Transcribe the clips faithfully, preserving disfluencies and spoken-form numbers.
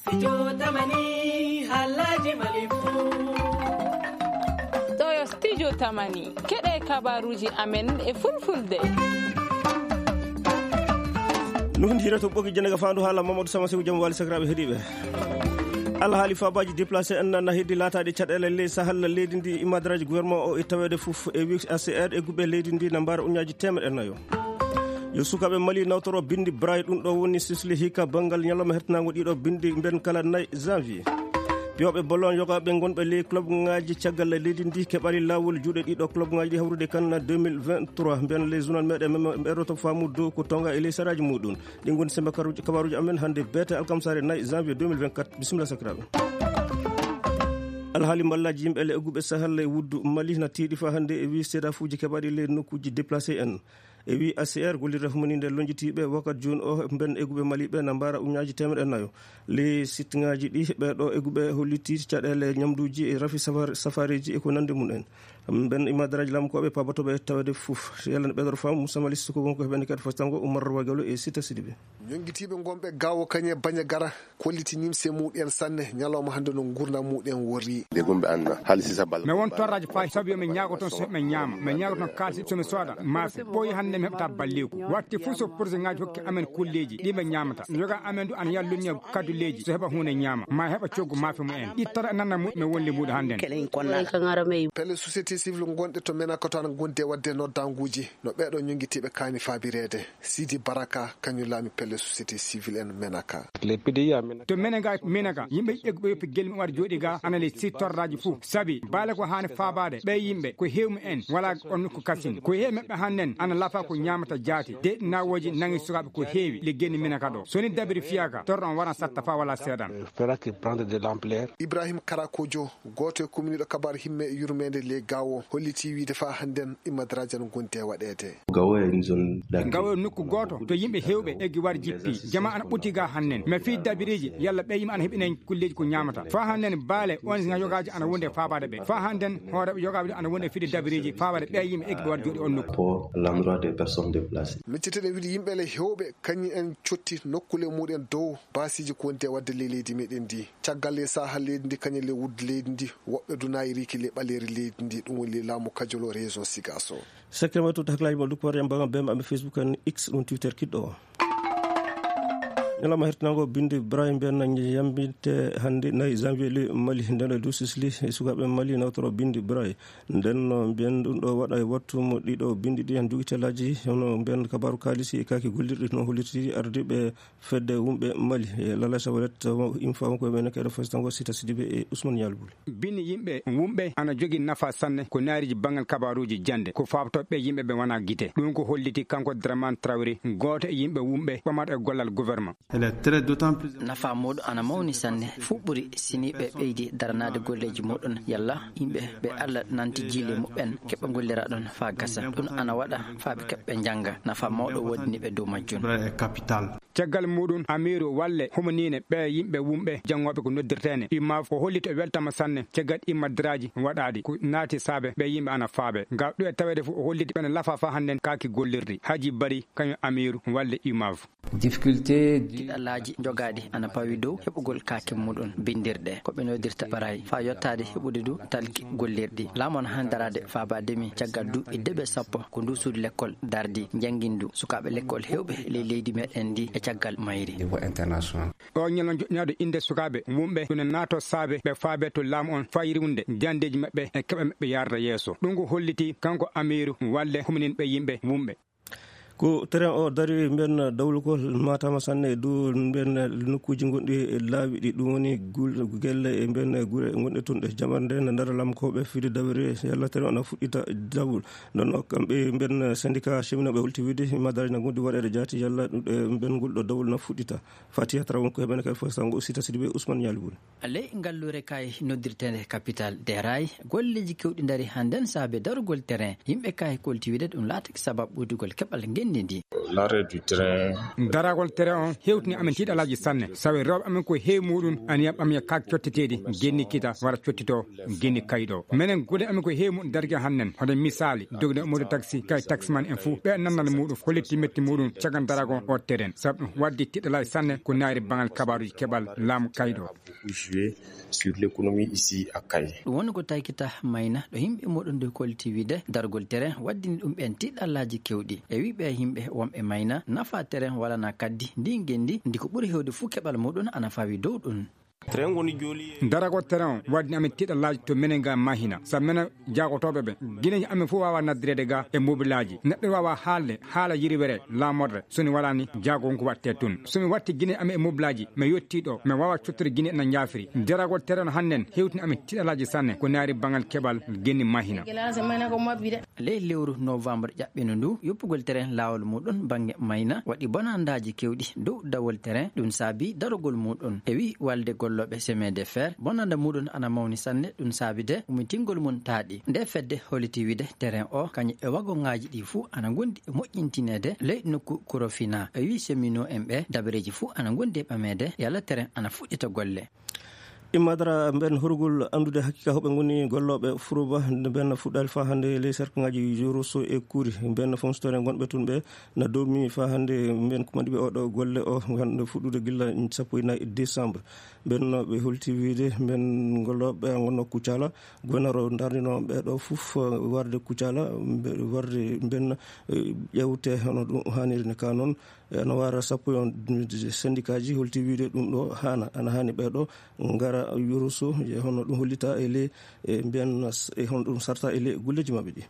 Studio Tamani, haalaaji Mali fuu. Ɗo yo Studio Tamani, keɗe kabaruuji amen e fulfulde. Nuhndi hira to ɓoki jenega fandu haala Mamadou Sama Sew, jam wali sakiraaɓe heɗiiɓe. Alhaali faabaji déplacé en na heddi laataɗi caɗeele ley Sahel leydi ndi, imadraji gouvernement o e taweede fof e wi A C R e gubɓe leydi ndi na mbaara uñaaji teemeɗe nayo. Yo sukaaɓe Mali nawtoro bindi Braille, ɗum ɗo woni sisli hikka banngal ñalawma hertanaango ɗiɗo bindi mben kala nay janvier. Piyooɓe ballon yogaaɓe ngonɓe ley club ŋaaji caggal leydi ndi keɓali laawol juuɗe ɗiɗo club ŋaaji ɗi hawrude kan deux mille vingt-trois. Mben ley journal meɗen ɓeɗo to faamu dow ko tonga e ley saraaji muɗum. Ɗi ngoni sembe kabaruuji, kabaruuji amen hannde beete alkamsaare nay janvier deux mille vingt-quatre. Bisimilla sakiraaɓe. Alhaali mballaji yimɓe le egguɓe Sahel e wuddu Mali na tiiɗi fa hannde e wi seedafuuji keɓaɗi le nokkuuji déplacé en. E wi A C R gollirde humaninde lonjitiiɓe wakat jooni o mben egguɓe Mali ɓe na mbaara uñaaji teemeɗe nayo. Le site ŋaaji ɗi ɓeɗo egguɓe holliti caɗeele ñamduuji e rafi safar-, safareeji e ko nande mum en. Mben imadraji lamkooɓe paabatoɓe tawede fof. Yalla ne ɓeɗor fam Moussa Mali Sissoko wonko heɓani kadi fostango Oumar Wagalo e Sita Sidibé. Ñonngitiiɓe ngonɓe gawo kañe baña gara kolliti nimse muɗen sanne ñalawma hannde no ngurndan muɗen worri. De gombe anna hali sisa bal. Mi won torraji fayi sabu yo mi ñaago toon so mi ñaama. Mi ñaago toon kaalsi so mi sooda maafe. Ɓooyi hannde mi heɓata balleeku. Watti fof so projet ŋaaji hokki amen kulleeji ɗi mi ñaamata. Mi yoga amen du ana yallunni kadduleeji so heɓa huunde ñaama. Ma heɓa coggu maafe mum en. Ittata nanna mu mi wonde mbuɗo hannde. Kelen konna. Pelle société civile ngonɗe to Menaka to ana gonde wadde noddanguuji no ɓeɗo ñonngitiiɓe kaani faabireede. Sidi Baraka, kañum laami pelle société civile en Menaka. To Menaka, Menaka, yimɓe egguɓe yoppi gelmi waɗa jooɗi ga ana le sittorraji fof. Sabi, baale ko haani faabaade, ɓe yimɓe, ko heewi en, wala on nokku kasini. Ko heewi maɓɓe hannden, ana lafa ko ñaamata jaati. De nawooji nangi sukaaɓe ko heewi, le geni Menaka ɗo. So ni dabiri fiyaka, torɗo on waran satta fa wala seeɗan. Fera que prendre de l'ampleur. Ibrahim Karakojo, gooto e kuminiiɗo kabaar himme e yurmeende ley Gaawo, holliti wiide faa hannden imadraaji ana ngondi e waɗeede. Gaawo e zone d'accueil. Gaawo e nokku gooto to yimɓe heewɓe eggi war jippi. Jama ana ɓutti ga hannden. Mais fii dabiriiji, yalla ɓe yimɓe ana heɓinay kulleeji ko ñaamata. Faa hannden baale on yogaaji ana wondi e faabaade ɓe. Faa hannden hooreeɓe yogaaɓe ana wondi e fide dabiriiji faabaade ɓe yimɓe eggi ɓe war jooɗi on nokku. Pour l'endroit des personnes déplacées. Miccitene wiide yimɓe le heewɓe kañum en cotti nokkule muɗen dow baasiiji ko wondi e waɗde ley leydi meɗen ndi. Caggal e saha leydi ndi kañum le wudde leydi ndi, woɓɓe dunayi riki le ɓaleeri leydi ndi, ɗum woni le laamu Kajolo région Sigaso. Sekkere ma tuta hakkilaaji ma duppoore en mbaɗa bee maɓɓe Facebook en X ɗum Twitter kiɗɗo o. Ñalawma hertinango bindi Braille mbiyen na yambinte hannde nayi janvier le Mali nden e dow sisli e sukaaɓe Mali nawtoro bindi Braille. Nden no mbiyen ɗum ɗo waɗa e wattu mo ɗiɗo bindi ɗi en jogitelaji hono mbiyen kabaru kaalisi e kaaki gollirɗi no hollirti ardiiɓe fedde wumɓe Mali e Lala Sawaret infa ko ɓe nekeɗo fasitango Sita Sidibe e Ousmane Yalbul. Bini yimɓe wumɓe ana jogi nafa sanne ko naariji bangal kabaruji jande ko fabto ɓe yimɓe ɓe wana gite. Ɗum ko holliti kanko Draman Traoré, gooto e yimɓe wumɓe ɓamaɗo e gollal gouvernement. Nafa muɗum ana mawni sanne, fuu ɓuri sini ɓe ɓeydi daranaade golleeji muɗum yalla yimɓe ɓe Allah nanti jiile muɓɓen keɓɓe gollira ɗon faa gasa. Ɗum ana waɗa faa ɓe keɓɓe njannga. Nafa mawɗo woodini ɓe dow majjum. Caggal muɗum, Amiiru Walle humaniine ɓe yimɓe wumɓe janngooɓe ko noddirteene. Imma o holliti o weltama sanne caggal immadraaji waɗaaɗi ko naati saabe ɓe yimɓe ana faabe. Ngam ɗum e taweede fof o holliti ɓen lafa faa hannden kaaki gollirdi. Haji Bari kañum Amiiru Walle Imav. Difficulté di- Kiɗalaaji jogaaɗi ana pawi dow heɓugol kaake muɗum bindirɗe ko ɓe noddirta baray faa yottaade heɓude du talki gollirɗi. Laamu ana haani daraade faabaade mi caggal duuɓi deɓe sappo ko ndu suudu lekkol dardi njanngindu sukaaɓe lekkol heewɓe ley leydi meɗen ndi e caggal mayri. Niveau international. O ñalon joɗɗinaɗo innde sukaaɓe wumɓe ɗum ne naato saabe ɓe faabe to laamu on fayirunde jandeeji maɓɓe e keɓe maɓɓe yarda yeeso. Ɗum ko holliti kanko Amiiru Walle humninɓe yimɓe wumɓe. Ko terrain o dari mben dawlugol matama sanne e dow mben nokkuuji gonɗi e laawi ɗi, ɗum woni gul-, gelle e mben gure gonɗe toon ɗe jamarde na ndara lamkooɓe fide dawre yalla terrain o na fuɗɗita dawol. Nden o kamɓe mben syndicat cheminooɓe holti wiide madaraji na gondi waɗeede jaati yalla ɗum ɗe mben ngol ɗo dawol na fuɗɗita. Fatiha Traoré won ko heɓene kadi fof sango aussi tasidiɓe Ousmane Ñaali Bun. Ley ngalluure kay noddirteende Capital des Rails, golleeji keewɗi ndarii hannden saabe darugol terrain. Yimɓe kay kolti wiide ɗum laatake sababu ɓoydugol keɓal ngenndiigu. Ndi ndi. L'arrêt du train. Daragol tere on hewtini amen tiiɗalaaji sanne, sawi rewɓe amen ko heewi muɗum, aniyam ɓam ya kak cotteteeɗi, genni kita wara cottito, genni kayɗo. Menen gude amen ko heewi muɗum darge hannden, hoɗen misaali, dogde moto taxi, kay taximan en fuu, ɓe nannal muɗum, hollitti metti muɗum, cagan daragol o teren. Sabu ɗum waddi tiiɗalaaji sanne ko naari bangal kabaaruji keɓal laamu kayɗo. Beaucoup jouer sur l'économie ici à Kayes. Ɗum woni ko taykita Mayna, ɗo yimɓe muɗum nde kolti wiide dargol tere waddini ɗum ɓeen tiiɗallaaji keewɗi. E wii ɓe yimɓe wonɓe Mayna, nafa tere walana kaddi ndi ngenndi, ndi ko ɓuri heewde fuu keɓal muɗum ana fawi dow ɗum. Tere ngoni jooli. Daragol tere on waddini amen tiiɗallaaji to menen ga Mahina. Sabu menen jaagotooɓe ɓe, gineeji amen fof waawa naddireede ga e mobilaaji. Neɗɗo waawa haalde haala yirwere laamorde, so ni walaani jaagol ngu waɗtee tun. So mi watti gineeji amen e mobilaaji, mi yottii ɗo, mi waawa cottude Gine ena njaafiri. Daragol tere on hannden hewtini amen tiiɗalaaji sanne, ko naari bangal keɓal genni Mahina. Ley lewru novembre ƴaɓɓino ndu, yoppugol tere laawol muɗum bannge Mayna waɗi bonandaaji keewɗi dow dawol tere, ɗum saabi darogol muɗum. E wii walde gollooɓe chemin de fer, bonanda muɗum ana mawni sanne, ɗum saabi de ummitingol mum taaɗi. Nde fedde holliti wiide terrain o, kañum e wagongaaji ɗi fuu ana ngondi e moƴƴintineede ley nokku Korofina. E wii cheminot en ɓe, dabareeji fuu ana ngondi e ɓameede, yalla terrain ana fuɗɗita golle. Immadara mben horugol anndude hakkika hoɓe ngoni gollooɓe Furuba, mben fuɗɗaali faa hannde ley serkangaaji Yoroso e Kuri. Mben fonctionnaire gonɓe tun ɓe na doomi faa hannde mben kumandi ɓe oɗo golle o, hannde fuɗɗude gilla sappo e nayi décembre. Mben no ɓe holti wiide mben gollooɓe ngonno Kucala, gonaro ndarnino ɓe ɗo fof, eh, warde Kucala, mbe-, warde mben, eh, ƴewte hono ɗum haaniri ne ka noon. Eh, no wara sappo e on syndicat ji holti wiide ɗum ɗo haana, ana haani ɓe ɗo ngara Yoroso, e hono ɗum hollita e ley, e mbiyan s-, e hono ɗum sarta e ley golleeji maɓɓe ɗi.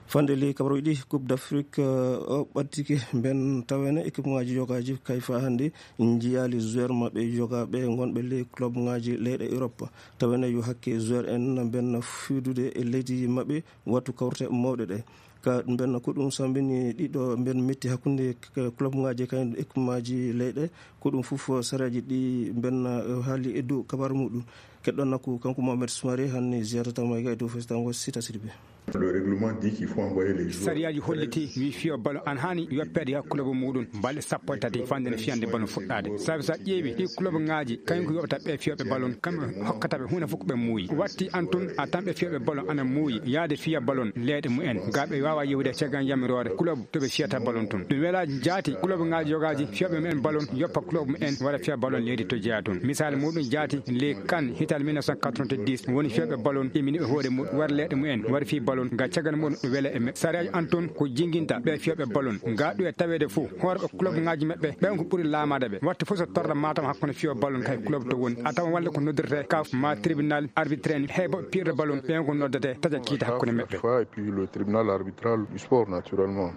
Fande ley kabaruuji ɗi, Coupe d'Afrique, eh, o ɓattike mben tawene équipe ngaji yogaaji kay fa hannde njiyaali joueur maɓɓe yogaaɓe ngonɓe ley club ngaji leyɗe Europe. Tawene yo hakke joueur en mben fiidude e leydi maɓɓe wattu kawrte mawɗe ɗe. Ka mben ko ɗum sambini ɗiɗo mben metti hakkunde k-, club ngaji kay équipe ngaji leyɗe. Ko ɗum fof sareeji ɗi mben, eh, haali e dow kabaru muɗum. Keɗɗon nakku kanko Mohamed Soumaré hanni ziyara tawma e dow festango Sita Sidibé. Le règlement dit qu'il faut envoyer les joueurs. Sariyaaji holliti wi fiyo ballon an haani yoppeede ha club muɗum balɗe sappo e tati fande no fiyande ballon fuɗɗaade. Sabi sa ƴeewi ɗi club ngaji kañum ko yoɓata ɓe fiyoɓe ballon, kamɓe hokkata ɓe huunde fof ko ɓe muuyi. Watti an tun a tan ɓe fiyoɓe ballon ana muuyi yaade fiya ballon leyɗe mumen. Ga ɓe waawa yehude caggal yamiroore club to ɓe fiyata ballon tun. Ɗum wela jaati club ngaji yogaji fiyoɓe mumen ballon yoppa club mumen wara fiya ballon leydi to jeya tun. Misal muɗum jaati le kan hital mille neuf cent quatre-vingt-dix woni fiyoɓe ballon imini ɓe hoore muɗum wara leyɗe mumen wara fi ballon ga caggal muɗum ɗum wela e me-, sareejo an tun ko jinginta ɓe fiyoɓe ballon. Ga ɗum e taweede fof hoore ko club ngaji maɓɓe ɓen ko ɓuri laamaade ɓe. Watta fof so torra matam hakkunde fiyo ballon kay club to woni a tawa walla ko noddirte kaf ma tribunal arbitre en heɓa piirɗo ballon ɓen ko noddete taƴa kiita hakkunde maɓɓe. Fois, et puis le tribunal arbitral du sport, naturellement.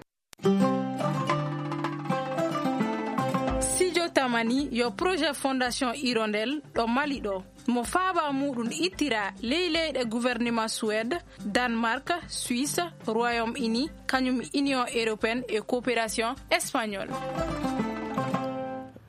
Studio Tamani yo projet Fondation Hirondelle ɗo Mali ɗo. Mo faaba muɗum ittira ley leyɗe gouvernement Suède, Danemark, Suisse, Royaume-Uni, kañum Union européenne et coopération espagnole.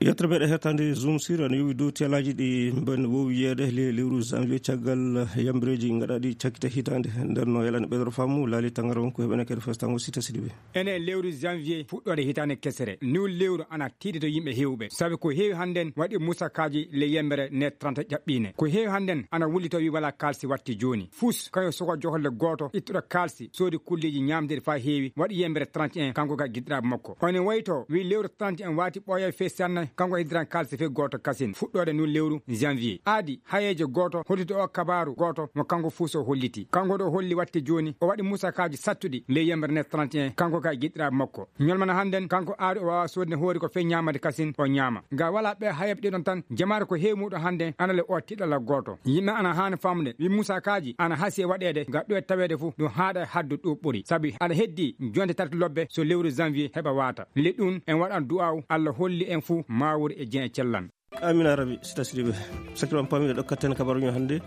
Yettere meɗen hettande Zoom Sir ene yowi dow tiyalaaji ɗi mben wowi yeede le lewru janvier caggal yambireeji gaɗaaɗi cakkite hitaande. Nden no yalani ɓeydoro faamu laali tangara won ko heɓene kadi festango Sita Sidibé. Ene lewru janvier fuɗɗoode hitaande kesere. Niw lewru ana tiiɗi to yimɓe heewɓe. Sabi ko heewi hannden waɗi musakaaji le yembere ne trente ƴaɓɓiine. Ko heewi hannden ana wulli to wi wala kaalsi watti jooni. Fus, kañum suka joholle gooto, ittuɗo kaalsi, soodi kulleeji ñaamdeeɗi faa heewi, waɗi yembere trente et un, kanko ka giɗɗiraaɓe makko. One wayto, wi lewru trente et un waati ɓooyee fee sanne, kanko heddiran kaalsi fee gooto kasin, fuɗɗoode ndun lewru janvier. Aadi, hayeejo gooto, holliti o kabaaru gooto, mo kanko fuu so holliti. Kanko ɗo holli watte jooni, o waɗi musakaaji sattuɗi ley yembere nde trente et un, kanko ka giɗɗiraaɓe makko. Ñolmana hannden, kanko aari o waawa soodde hoore ko fee ñaamade kasin, o ñaama. Ga wala ɓe hayeeɓe ɗiɗon tan, jamaare ko heewi muɗum hannde ana le o tiɗalla gooto. Yimɓe ana haani faamude, wi musakaaji ana hasi e waɗeede, ga ɗo e taweede fof, ɗum haaɗa e haddu ɗo ɓuri. Sabi aɗa heddi jonte tati lobbe so lewru janvier heɓa waata. Le ɗum en waɗan du'aaw, Allah holli en fof maawude e jeen e cellan. Amina Rabi, Sita Sidibé. Sakkiram paamiɗo ɗo katten kabaru ño hannde.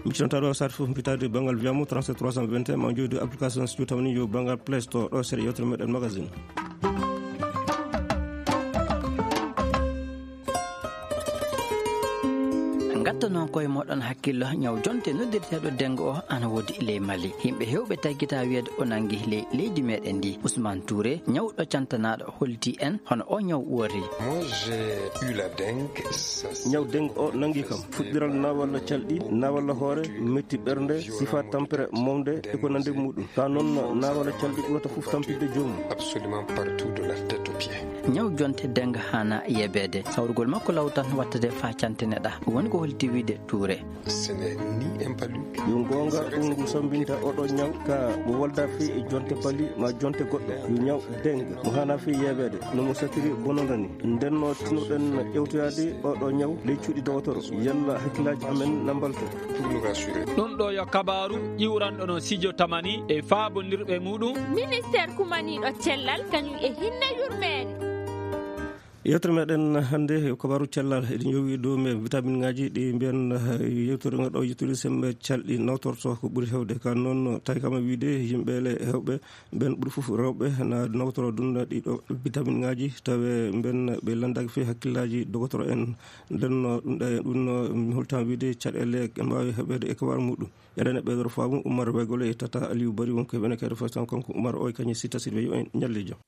Mi cinta ɗo sat fof mbitaade banngal wiyamo trente-sept trois cent vingt et un, ma jooɗi application studio tamani yo banngal Play Store ɗo seeɗa yewtere meɗen magazine. Gatta noon koye mooɗon hakkillo, ñaw jonte noddirteeɗo dengue o ana woodi ley Mali. Yimɓe heewɓe taggita wiyeede o nanngi ley leydi meɗen ndi. Ousmane Touré, ñawɗo cantanaaɗo, holti en hono o ñaw worri. Moi, j'ai eu la dengue. Ñaw dengue o nanngi kam. Fuɗɗiral naawalla calɗi, naawalla hoore, metti ɓernde, sifa tampere mawde, e ko nandi e muɗum. Ka noon, naawalla calɗi ɓurata fof tampinde joomum. Absolument partout, de la tête aux pieds. Ñaw jonte dengue haana yebeede. Sawrugol makko law tan wattade faa cante neɗa. Woni ko holti wiide Touré. Ce n'est ni un palu. Yo goonga, ɗum ngu sambinta oɗo ñaw ka mo walda fii e jonte bali ma jonte goɗɗo. Yo ñaw dengue mo haana fii yebeede, no mo satiri bononda ni. Nden no tinoɗen ƴewtoyaade oɗo ñaw ley cuuɗi dogotoro. Yalla hakkillaaji amen na mbalto. Pour nous rassurer. Ɗum ɗo yo kabaaru ƴiwranɗo no Sidio Tamani e faabondirɓe muɗum. Ministeer kumaniiɗo cellal kañum e hinne yurmeende. Yewtere meɗen hannde yo kabaaru cellal, eɗen yowi dow me vitamineŋaaji ɗi mbiyen, eh, yewtere ngo ɗo yettude semme calɗi nawtorto ko ɓuri heewde. Ka noon, tawi kam e wiide yimɓe le heewɓe ɓen ɓuri fof rewɓe na nawtoro ɗum ɗiɗo vitamineŋaaji, tawi ɓen ɓe landaaki fii hakkillaaji dogotoro en. Nden no ɗum ɗa-, ɗum no mi holta wiide caɗeele en mbaawi heɓeede e kabaaru muɗum. Eɗen e ɓeydoro faamu Oumar Wegole e Tata Aliou Bari, wonko e ɓene kayɗo fasitan kanko Oumar o e kañum Sita Sidibé, yo en ñallu e jam.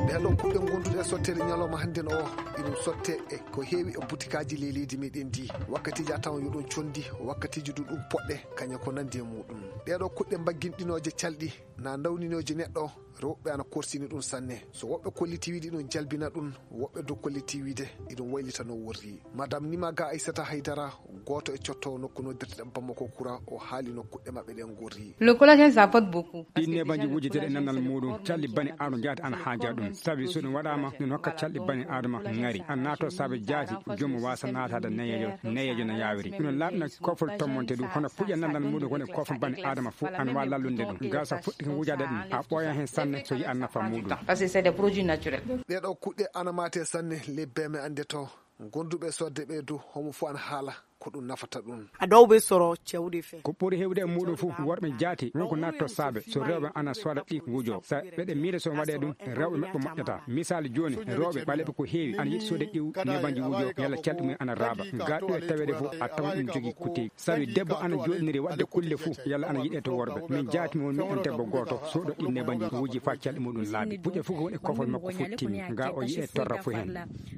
Ɗee ɗoo kuɗɗe ngonduɗe e sotteede ñalawma hannden o, iɗum sotte e ko heewi e butikaaji ley leydi meɗen ndi. Wakkatiiji a tawan yo ɗum condi, wakkatiiji du ɗum poɗɗe, kañe ko nandi e muɗum. Ɗee ɗoo kuɗɗe mbagginɗinooje calɗi, na nawninooje neɗɗo, rewɓe ana korsini ɗum sanne. So woɓɓe kolliti wiide iɗum jalbina ɗum, woɓɓe du kolliti wiide iɗum waylita no worri. Madame Nimaga Aissata Haydara, gooto e cotto nokku noddirteɗen Bamako Kura, o haali no kuɗɗe maɓɓe ɗen ngorri. Le collagène, ça apporte beaucoup. Ɗin nebanji wujjeteeɗi e nannal muɗum, calɗi bani aadama jaati ana haaja ɗum. Sabi so ɗum waɗaama, ɗum hokka calɗi bani aadama ŋari. Ana naato saabe jaati, joomum waasa naataade neyeejo, neyeejo no yaawiri. Ɗum no laaɓna kofol tommonte ɗum, hono puƴe nannal muɗum woni kofol bani aadama fof, ana waawi lallunde ɗum. Gasa fuɗɗi ko wujaade ɗum, a ɓooya heen sanne so yi'a nafa muɗum. Parce que c'est des produits naturels. Ɗee ɗoo kuɗɗe ana maate sanne, le B M ande to. Gonduɓe sodde ɓe du, homo fof ana haala ko ɗum nafata ɗum. A ɗowɓe soro cewɗi fe. Ko ɓuri heewde e muɗum fof, worɓe jaati, won ko natto saabe, so rewɓe ana sooda ɗi wujo. Sa ɓeɗe miila so waɗe ɗum, rewɓe maɓɓe moƴƴata. Misaali jooni, rewɓe ɓaleɓe ko heewi, ana yiɗi soode ɗi nebanji wujo, yalla calɗi mum ana raaba. Ga ɗo e taweede fof, a tawan ɗum jogii kuteeji. Sabi debbo ana jooɗiniri waɗde kulle fof, yalla ana yiɗe to worɓe. Min jaati mo woni miɗen debbo gooto, soodo ɗi nebanji wuji faa calɗi muɗum laaɓi. Puƴe fof ko woni e kofol makko fof timmi. Ga o yi'e torra fof heen.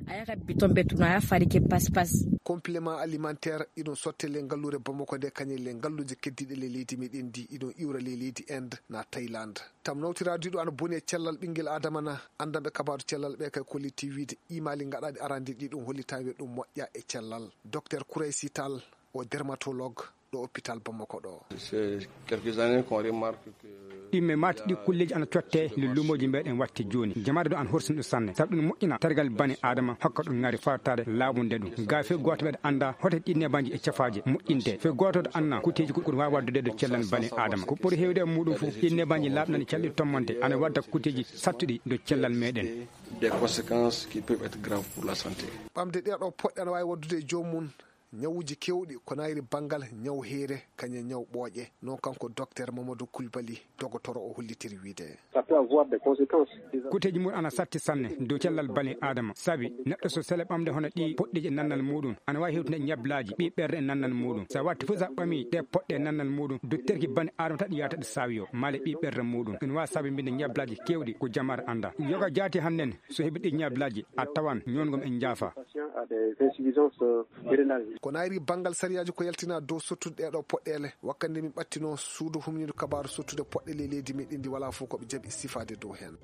A yaha biton ɓe tuna, a yaha fari ke pas pas. Complément alimentaire, iɗum sotte le ngalluure Bamako nde, kañe le ngalluuje keddiiɗe le leydi meɗen ndi, iɗum iwra le leydi Inde na Thaïlande. Tam nawtiraadu ɗo ana boni e cellal ɓinngel Adama na, anndanɓe kabaaru cellal ɓe kay kolliti wiide imaali ngaɗaaɗi arande ɗi ɗum hollita wiye ɗum moƴƴa e cellal. Docteur Kouraysi Tall, o dermatologue, ɗo hôpital Bamako ɗo. C'est quelques années qu'on remarque que ɗimme maati ɗi kulleeji ana cotte le lumoji meɗen watte jooni. Jamaade ɗo an horsini ɗum sanne. Sabu ɗum moƴƴina tergal bani Adama, hokka ɗum ŋari fartaade laaɓunde ɗum. Ga fii gooto meɗen annda hoto ɗi nebanji e cafaaji moƴƴinte. Fii gooto ɗo anna kuteeji ko ɗum waawi waddude ɗo cellal bani Adama. Ko ɓuri heewde e muɗum fof, ɗi nebanji laaɓnani calɗi tommonte ana wadda kuteeji sattuɗi ɗo cellal meɗen. Des conséquences qui peuvent être graves pour la santé. Ɓamde ɗee ɗo poɗɗe ana waawi waddude e joomum ñawuuji keewɗi, ko nayri banngal ñaw heere, kañum e ñaw ɓooƴe. Noon kanko Docteur Mamadou Koulibaly, dogotoro o hollitiri wiide. Ça peut avoir des conséquences. Kuteeji mum ana satti sanne dow cellal bani Adama, sabi neɗɗo so sele ɓamde hono ɗi poɗɗeeji e nannal muɗum, ana waawi hewtude ñablaaji ɓii ɓerɗe e nannal muɗum. So a watti fof, so a ɓamii ɗe poɗɗe e nannal muɗum, dotterki bani Adama tan yaata ɗo saawiyo, maale ɓii ɓerɗe muɗum. Ina waawi saabinde ñablaaji keewɗi ko jamaare annda. Yoga jaati hannden, so heɓi ɗi ñablaaji, a tawan ñoongol e njaafa. Patient a des insuffisances, euh, rénales. Ko nayri banngal sariyaaji ko yaltina dow sottude ɗee ɗo poɗɗeele. Wakkati nde min ɓattinoo suudu humniidu kabaaru sottude poɗɗe ley leydi meɗen ndi, walaa fof ko ɓe jaɓi sifaade dow heen.